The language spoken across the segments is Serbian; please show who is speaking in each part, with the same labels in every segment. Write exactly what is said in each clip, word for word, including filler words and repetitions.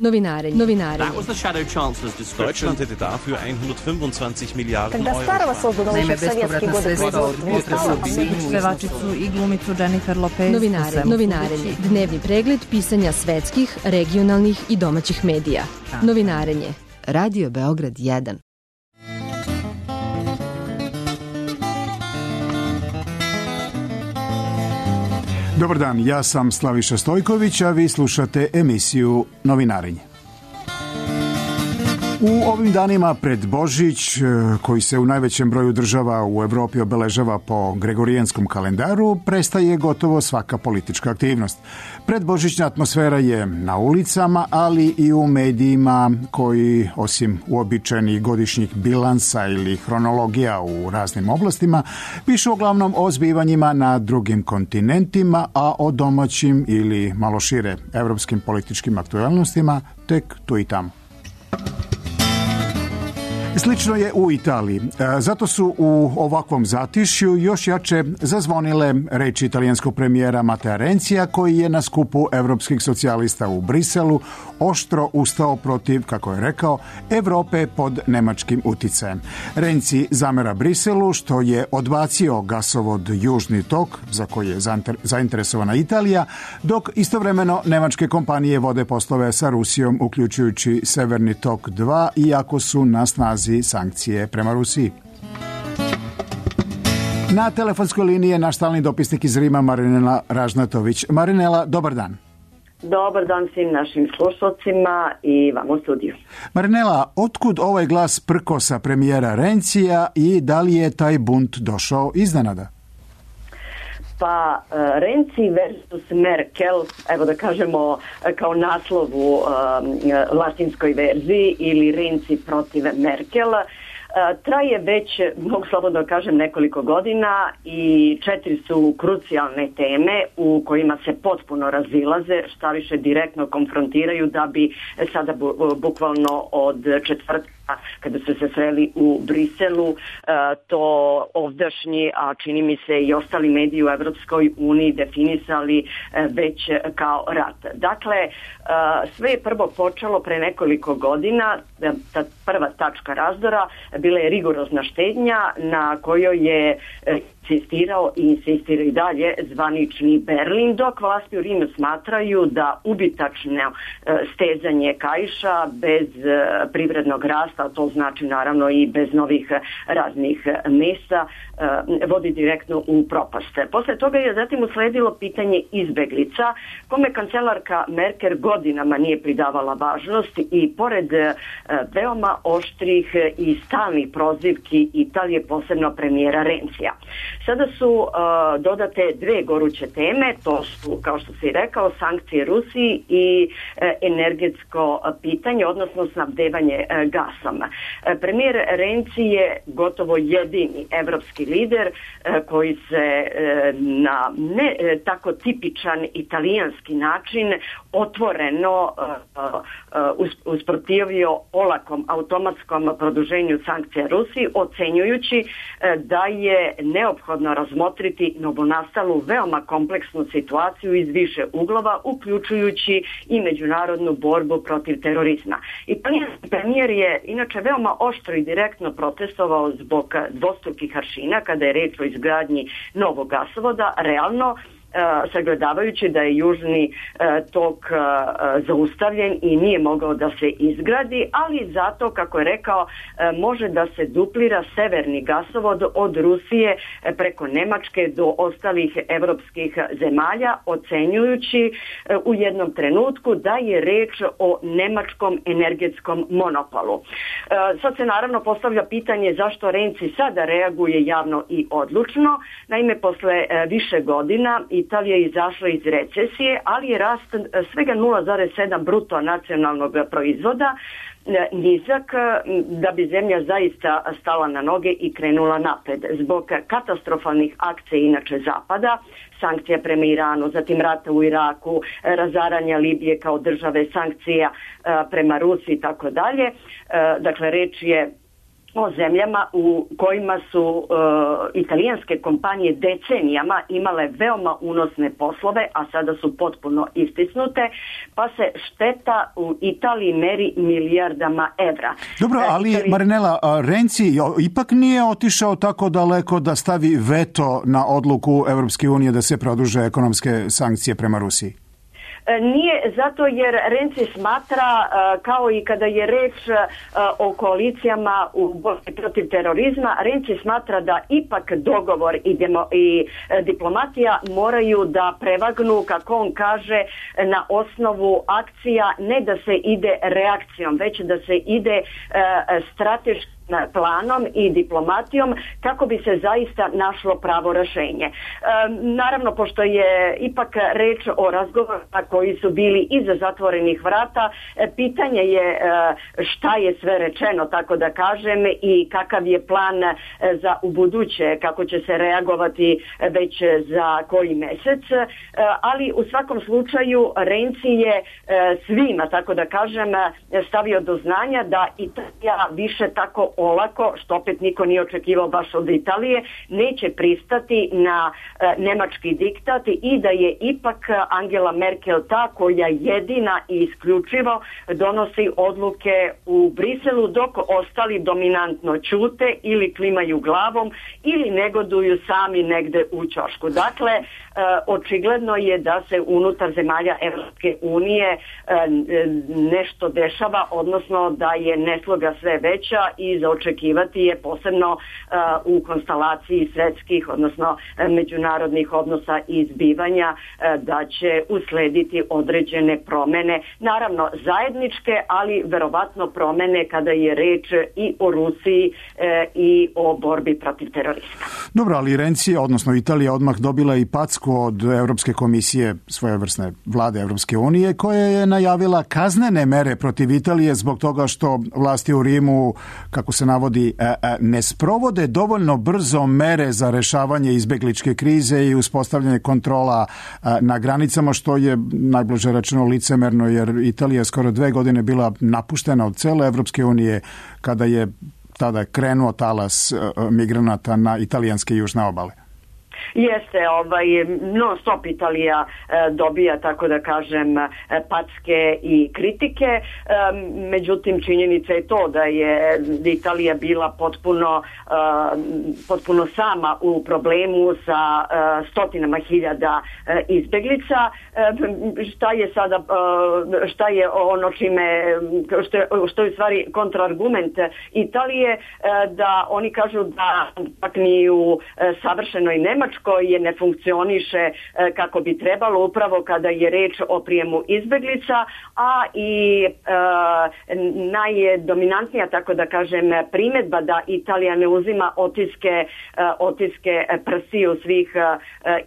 Speaker 1: Novinarenje. Novinarenje.
Speaker 2: Deutschland hätte dafür hundertfünfundzwanzig Miliarden Euro.
Speaker 3: Naime, bespovratna sredstva od potresa u Sinju, pevačicu i glumicu Jennifer Lopez.
Speaker 1: Novinarenje. Novinarenje. Dnevni pregled pisanja svetskih, regionalnih i domaćih medija. Novinarenje. Radio Beograd jedan.
Speaker 4: Dobar dan, ja sam Slaviša Stojković, a vi slušate emisiju Novinarenje. U ovim danima pred Božić, koji se u najvećem broju država u Evropi obeležava po gregorijanskom kalendaru, prestaje gotovo svaka politička aktivnost. Predbožićna atmosfera je na ulicama, ali i u medijima koji, osim uobičajenih godišnjih bilansa ili hronologija u raznim oblastima, pišu uglavnom o zbivanjima na drugim kontinentima, a o domaćim ili malo šire evropskim političkim aktualnostima tek tu i tamo. Slično je u Italiji. Zato su u ovakvom zatišju još jače zazvonile reči italijanskog premijera Matea Rencija, koji je na skupu evropskih socijalista u Briselu oštro ustao protiv, kako je rekao, Evrope pod nemačkim uticajem. Renzi zamera Briselu što je odbacio gasovod Južni tok, za koji je zainteresovana Italija, dok istovremeno nemačke kompanije vode poslove sa Rusijom, uključujući Severni tok dva, iako su na snazi sankcije prema Rusiji. Na telefonskoj liniji je naš stalni dopisnik iz Rima, Marinela Ražnatović. Marinela, dobar dan.
Speaker 5: Dobar dan svim našim slušalcima i vam u studiju.
Speaker 4: Marinela, otkud ovaj glas prkosa premijera Rencija i da li je taj bunt došao iznenada?
Speaker 5: Pa Renzi versus Merkel, evo da kažemo kao naslovu um, latinskoj verziji, ili Renzi protiv Merkel, traje već, mogu slobodno kažem, nekoliko godina i četiri su krucijalne teme u kojima se potpuno razilaze, šta više direktno konfrontiraju, da bi sada bu, bukvalno od četvrtka kada su se sreli u Briselu, to ovdašnji, a čini mi se i ostali mediji u Evropskoj uniji definisali već kao rat. Dakle, sve je prvo počelo pre nekoliko godina, ta prva tačka razdora bila je rigorozna štednja na kojoj je insistirao i insistira i dalje zvanični Berlin, dok vlasti u Rimu smatraju da ubitačno stezanje kaiša bez privrednog rasta, to znači naravno i bez novih raznih mesta, vodi direktno u propast. Posle toga je zatim usledilo pitanje izbeglica, kome kancelarka Merkel godinama nije pridavala važnost i pored veoma oštrih i stalnih prozivki Italije, posebno premijera Renzija. Sada su uh, dodate dve goruće teme, to su, kao što si rekao, sankcije Rusiji i uh, energetsko pitanje, odnosno snabdevanje uh, gasom. Uh, premijer Renzi je gotovo jedini evropski lider uh, koji se uh, na ne uh, tako tipičan italijanski način otvoreno uh, uh, usprotivio olakom automatskom produženju sankcija Rusiji, ocenjujući uh, da je neophodno razmotriti novonastalu veoma kompleksnu situaciju iz više uglova, uključujući i međunarodnu borbu protiv terorizma. Italijanski premijer je inače veoma oštro i direktno protestovao zbog dvostrukih aršina kada je reč o izgradnji novog gasovoda, realno sagledavajući da je južni tok zaustavljen i nije mogao da se izgradi, ali zato, kako je rekao, može da se duplira severni gasovod od Rusije preko Nemačke do ostalih evropskih zemalja, ocenjujući u jednom trenutku da je reč o nemačkom energetskom monopolu. Sad se naravno postavlja pitanje zašto Renzi sada reaguje javno i odlučno. Naime, posle više godina i Italija je izašla iz recesije, ali je rast svega nula zarez sedam bruto nacionalnog proizvoda nizak da bi zemlja zaista stala na noge i krenula napred. Zbog katastrofalnih akcija inače Zapada, sankcija prema Iranu, zatim rata u Iraku, razaranja Libije kao države, sankcija prema Rusiji i tako dalje. Dakle, reč je o zemljama u kojima su uh, italijanske kompanije decenijama imale veoma unosne poslove, a sada su potpuno istisnute, pa se šteta u Italiji meri milijardama evra.
Speaker 4: Dobro, ali Italiji... Marinela, Renzi ipak nije otišao tako daleko da stavi veto na odluku Evropske unije da se produže ekonomske sankcije prema Rusiji.
Speaker 5: Nije, zato jer Renzi smatra, kao i kada je reč o koalicijama u borbi protiv terorizma, Renzi smatra da ipak dogovor i, demo, i diplomatija moraju da prevagnu, kako on kaže, na osnovu akcija, ne da se ide reakcijom, već da se ide strateški planom i diplomatijom kako bi se zaista našlo pravo rješenje. E, naravno, pošto je ipak reč o razgovorima koji su bili iza zatvorenih vrata, e, pitanje je e, šta je sve rečeno, tako da kažem, i kakav je plan e, za ubuduće, kako će se reagovati već za koji mjesec, e, ali u svakom slučaju Renzi je e, svima, tako da kažem, stavio do znanja da Italija više tako olako, što opet niko nije očekivao baš od Italije, neće pristati na e, nemački diktat i da je ipak Angela Merkel ta koja jedina i isključivo donosi odluke u Briselu, dok ostali dominantno ćute ili klimaju glavom ili negoduju sami negde u ćošku. Dakle, e, očigledno je da se unutar zemalja Evropske unije e, nešto dešava, odnosno da je nesloga sve veća i za očekivati je posebno uh, u konstelaciji svjetskih, odnosno uh, međunarodnih odnosa i zbivanja uh, da će uslediti određene promjene, naravno zajedničke, ali verovatno promjene kada je reč i o Rusiji uh, i o borbi protiv terorizma.
Speaker 4: Dobro, ali Renzi, odnosno Italija, odmah dobila i packu od Europske komisije, svojevrsne vlade Europske unije, koja je najavila kaznene mere protiv Italije zbog toga što vlasti u Rimu, kako se navodi, ne sprovode dovoljno brzo mere za rešavanje izbegličke krize i uspostavljanje kontrola na granicama, što je najbliže rečeno licemerno, jer Italija je skoro dve godine bila napuštena od cele Evropske unije kada je tada krenuo talas migranata na italijanske južne obale.
Speaker 5: Jeste, ovaj, non stop Italija e, dobija, tako da kažem, e, packe i kritike, e, međutim činjenica je to da je Italija bila potpuno, e, potpuno sama u problemu sa e, stotinama hiljada e, izbeglica. E, šta je sada, e, šta je ono čime, što je, što je u stvari kontraargument Italije, e, da oni kažu da pak ni u e, savršenoj Nemačkoj koje ne funkcioniše kako bi trebalo upravo kada je reč o prijemu izbeglica, a i e, najdominantnija, tako da kažem, primjedba da Italija ne uzima otiske, e, otiske prstiju svih e,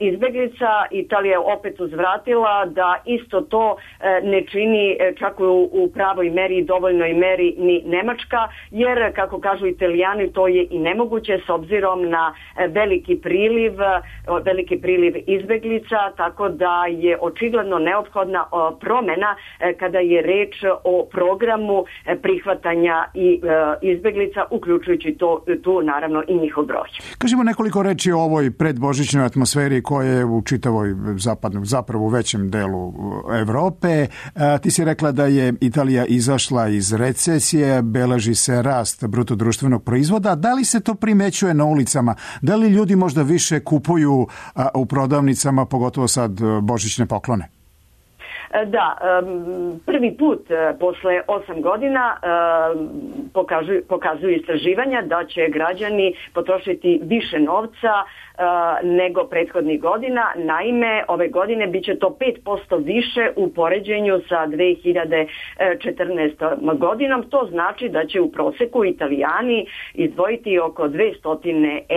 Speaker 5: izbeglica. Italija je opet uzvratila da isto to e, ne čini čak u, u pravoj meri, dovoljnoj meri ni Nemačka, jer kako kažu Italijani to je i nemoguće s obzirom na veliki priliv veliki priliv izbeglica, tako da je očigledno neophodna promjena kada je reč o programu prihvatanja i izbeglica, uključujući to, tu naravno i njihov broj.
Speaker 4: Kažemo nekoliko reči o ovoj predbožićnoj atmosferi koja je u čitavoj zapadnom, zapravo u većem delu Evrope. Ti si rekla da je Italija izašla iz recesije, beleži se rast bruto društvenog proizvoda. Da li se to primećuje na ulicama? Da li ljudi možda više kupuju u prodavnicama, pogotovo sad božićne poklone?
Speaker 5: Da, prvi put posle osam godina pokazuju, pokazuju istraživanja da će građani potrošiti više novca nego prethodnih godina. Naime, ove godine bit će to pet posto više u poređenju sa dve hiljade četrnaestom godinom. To znači da će u proseku Italijani izdvojiti oko dvesta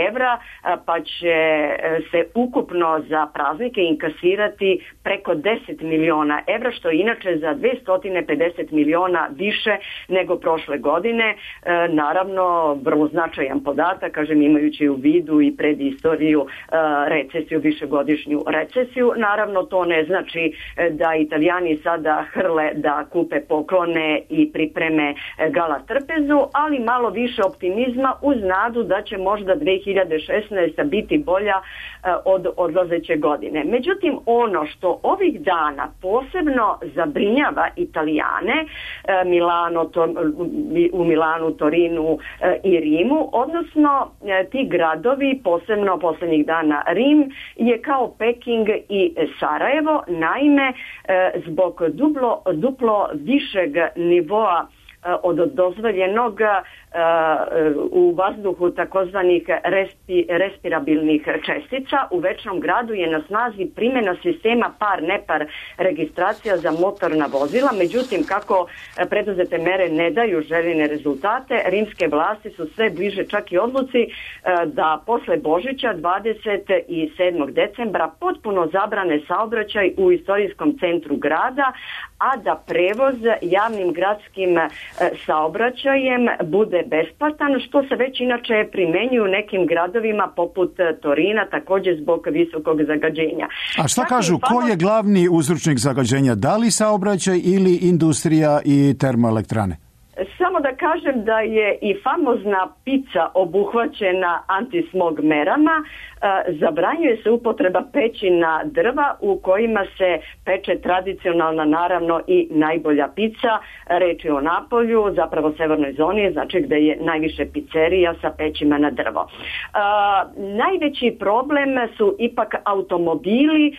Speaker 5: evra, pa će se ukupno za praznike inkasirati preko deset miliona evra, što je inače za dvesta pedeset miliona više nego prošle godine. godine. Naravno, vrlo značajan podatak, kažem, imajući u vidu i predistoriju recesiju, višegodišnju recesiju. Naravno, to ne znači da Italijani sada hrle da kupe poklone i pripreme gala trpezu, ali malo više optimizma uz nadu da će možda dve hiljade šesnaesta. biti bolja od odlazeće godine. Međutim, ono što ovih dana posebno zabrinjava Italijane, Milano, to, u Milanu, Torinu i Rimu, odnosno ti gradovi, posebno poslednjih dana Rim, je kao Peking i Sarajevo, naime zbog duplo, duplo višeg nivoa od dozvoljenog u vazduhu takozvanih respi, respirabilnih čestica. U večnom gradu je na snazi primjena sistema par-nepar registracija za motorna vozila, međutim kako preduzete mere ne daju željene rezultate, rimske vlasti su sve bliže čak i odluci da posle Božića dvadeset sedmog decembra potpuno zabrane saobraćaj u istorijskom centru grada, a da prevoz javnim gradskim saobraćajem bude besplatan, što se već inače primenjuju u nekim gradovima poput Torina, također zbog visokog zagađenja.
Speaker 4: A šta kažu, ko je glavni uzročnik zagađenja? Da li saobraćaj ili industrija i termoelektrane?
Speaker 5: Samo da kažem da je i famozna pica obuhvaćena antismog merama. Zabranjuje se upotreba pećina drva u kojima se peče tradicionalna, naravno, i najbolja pica. Reč je o Napolju, zapravo severnoj zoni, znači gde je najviše pizzerija sa pećima na drvo. A, najveći problem su ipak automobili e,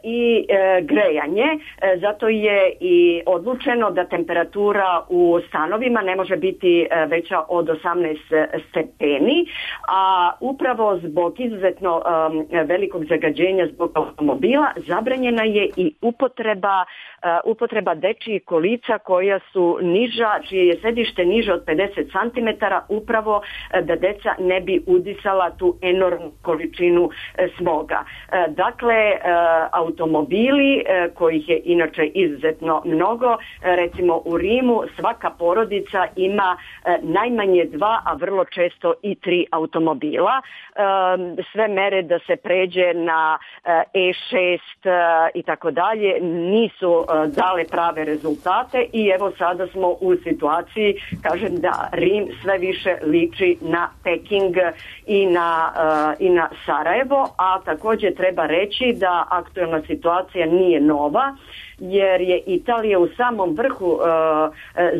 Speaker 5: i e, grejanje, e, zato je i odlučeno da temperatura u stanovima ne može biti e, veća od osamnaest stepeni, a upravo zbog izuzetno Um, velikog zagađenja zbog automobila zabranjena je i upotreba, uh, upotreba dečijih kolica koja su niža, čije je sedište niže od pedeset centimetara, upravo uh, da deca ne bi udisala tu enormnu količinu uh, smoga. Uh, dakle, uh, automobili, uh, kojih je inače izuzetno mnogo, uh, recimo u Rimu svaka porodica ima uh, najmanje dva, a vrlo često i tri automobila. Um, sve mere da se pređe na E šest i tako dalje nisu dale prave rezultate i evo sada smo u situaciji, kažem, da Rim sve više liči na Peking i na, i na Sarajevo, a također treba reći da aktualna situacija nije nova, jer je Italija u samom vrhu uh,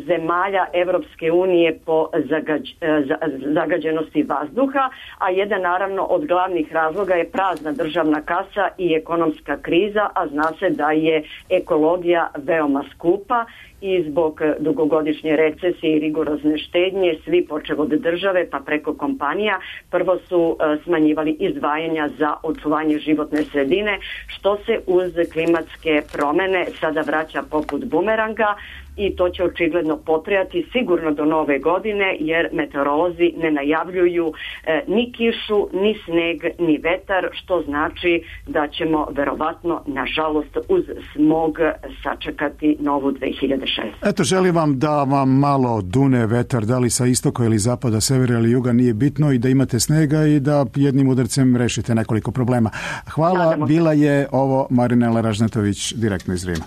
Speaker 5: zemalja Evropske unije po zagađ, uh, zagađenosti vazduha, a jedan naravno od glavnih razloga je prazna državna kasa i ekonomska kriza, a zna se da je ekologija veoma skupa i zbog dugogodišnje recesije i rigorozne štednje svi počev od države pa preko kompanija prvo su uh, smanjivali izdvajanja za očuvanje životne sredine, što se uz klimatske promene sada vraća poput bumeranga i to će očigledno potrajati sigurno do nove godine, jer meteorolozi ne najavljuju e, ni kišu, ni sneg, ni vetar, što znači da ćemo verovatno, nažalost, uz smog sačekati novu dve hiljade šeste.
Speaker 4: Eto, želim vam da vam malo dune vetar, da li sa istoka ili zapada, severa ili juga, nije bitno, i da imate snega i da jednim udarcem rešite nekoliko problema. Hvala, Nadamo. Bila je ovo Marinela Ražnatović direktno iz Rima.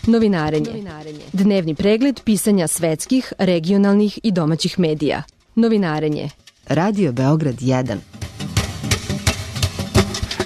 Speaker 1: Novinarenje. Dnevni pregled pisanja svetskih, regionalnih i domaćih medija. Novinarenje. Radio Beograd jedan.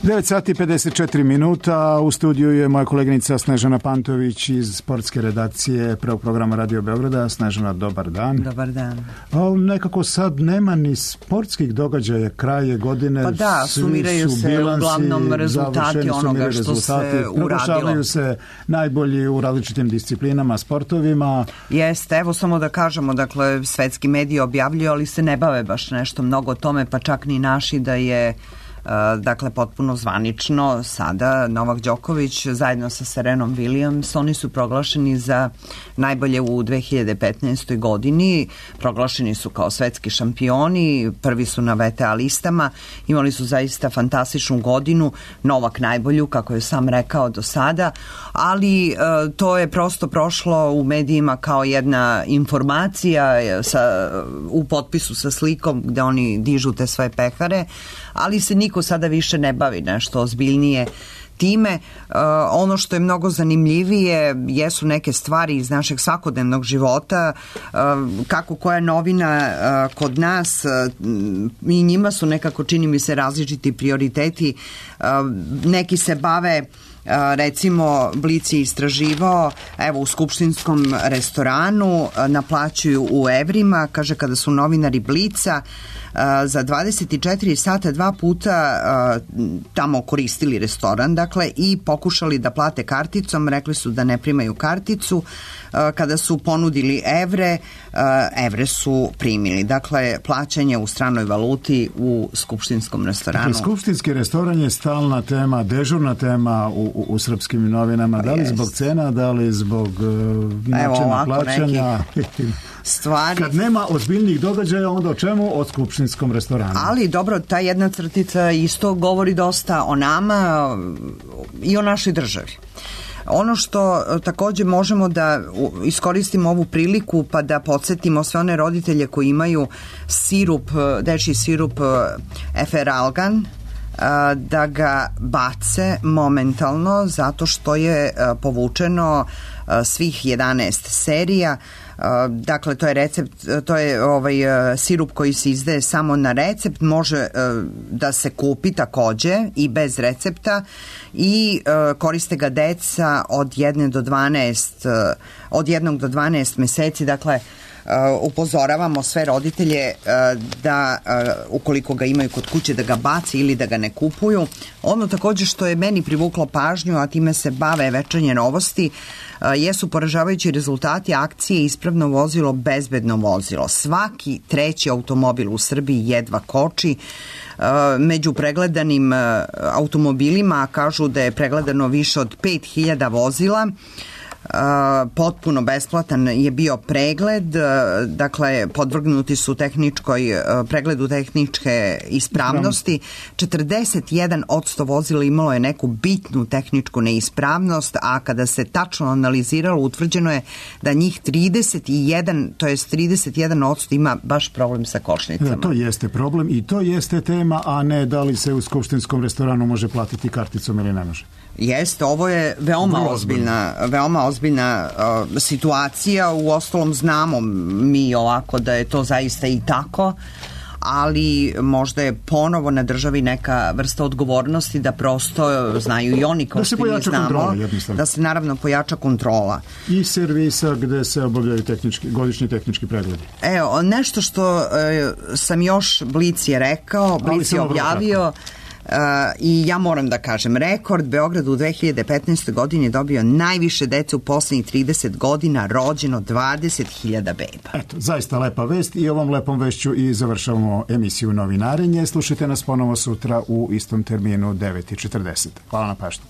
Speaker 4: devet sati i pedeset četiri minuta. U studiju je moja koleginica Snežana Pantović iz sportske redakcije prvog programa Radio Beograda. Snežana, dobar dan.
Speaker 6: Dobar dan.
Speaker 4: O, nekako sad nema ni sportskih događaja, kraje godine.
Speaker 6: Pa da, sumiraju se bilansi, uglavnom rezultati onoga što rezultati, se uradilo.
Speaker 4: Proglašavaju se najbolji u različitim disciplinama, sportovima.
Speaker 6: Jeste, evo samo da kažemo, dakle, svetski mediji objavljuju, ali se ne bave baš nešto mnogo o tome, pa čak ni naši, da je dakle potpuno zvanično sada Novak Đoković zajedno sa Serenom Williams, oni su proglašeni za najbolje u dve hiljade petnaestoj godini, proglašeni su kao svetski šampioni, prvi su na V T A listama, imali su zaista fantastičnu godinu, Novak najbolju, kako je sam rekao do sada, ali e, to je prosto prošlo u medijima kao jedna informacija sa, u potpisu sa slikom gde oni dižu te svoje pehare, ali se niko sada više ne bavi nešto ozbiljnije time. Uh, ono što je mnogo zanimljivije jesu neke stvari iz našeg svakodnevnog života, uh, kako koja novina uh, kod nas, uh, i njima su nekako, čini mi se, različiti prioriteti. Uh, neki se bave, uh, recimo Blic je istraživao, evo u skupštinskom restoranu uh, naplaćuju u evrima, kaže kada su novinari Blica Uh, za dvadeset četiri sata dva puta uh, tamo koristili restoran, dakle, i pokušali da plate karticom, rekli su da ne primaju karticu, uh, kada su ponudili evre, uh, evre su primili, dakle, plaćanje u stranoj valuti u skupštinskom restoranu.
Speaker 4: Dakle, skupštinski restoran je stalna tema, dežurna tema u, u, u srpskim novinama, da li yes. zbog cena, da li zbog uh, načina plaćanja.
Speaker 6: Stvari.
Speaker 4: Kad nema ozbiljnih događaja, onda o čemu? O skupštinskom restoranu.
Speaker 6: Ali dobro, ta jedna crtica isto govori dosta o nama i o našoj državi. Ono što takođe možemo da iskoristimo ovu priliku pa da podsjetimo sve one roditelje koji imaju sirup, dečji sirup Efferalgan, da ga bace momentalno zato što je povučeno svih jedanaest serija. Dakle, to je recept, to je ovaj sirup koji se izdaje samo na recept, može da se kupi takođe i bez recepta i koriste ga deca od jedne do dvanaest, od jednog do dvanaest meseci, dakle upozoravamo sve roditelje da ukoliko ga imaju kod kuće da ga baci ili da ga ne kupuju. Ono takođe što je meni privuklo pažnju, a time se bave Večernje novosti, jesu poražavajući rezultati akcije Ispravno vozilo, bezbedno vozilo. Svaki treći automobil u Srbiji jedva koči. Među pregledanim automobilima kažu da je pregledano više od pet hiljada vozila. Uh, potpuno besplatan je bio pregled, uh, dakle podvrgnuti su tehničkoj uh, pregledu tehničke ispravnosti. četrdeset jedan posto vozila imalo je neku bitnu tehničku neispravnost, a kada se tačno analiziralo, utvrđeno je da njih trideset jedan, to jest trideset jedan posto ima baš problem sa kočnicama.
Speaker 4: Da, to jeste problem i to jeste tema, a ne da li se u skupštinskom restoranu može platiti karticom ili ne može.
Speaker 6: Jeste, ovo je veoma Vrlo ozbiljna, veoma ozbiljna uh, situacija, u ostalom znamo mi ovako da je to zaista i tako, ali možda je ponovo na državi neka vrsta odgovornosti da prosto znaju i oni kao što mi znamo, kontrola, da se naravno pojača kontrola.
Speaker 4: I servisa gde se obavljaju tehnički, godišnji tehnički pregledi.
Speaker 6: Evo, nešto što uh, sam još Blic je rekao, Blic je objavio, Uh, i ja moram da kažem, rekord, Beograd u dve hiljade petnaestoj godini dobio najviše dece u poslednjih trideset godina, rođeno dvadeset hiljada beba.
Speaker 4: Eto, zaista lepa vest i ovom lepom vešću i završavamo emisiju Novinarenje. Slušajte nas ponovo sutra u istom terminu devet i četrdeset. Hvala na pažnji.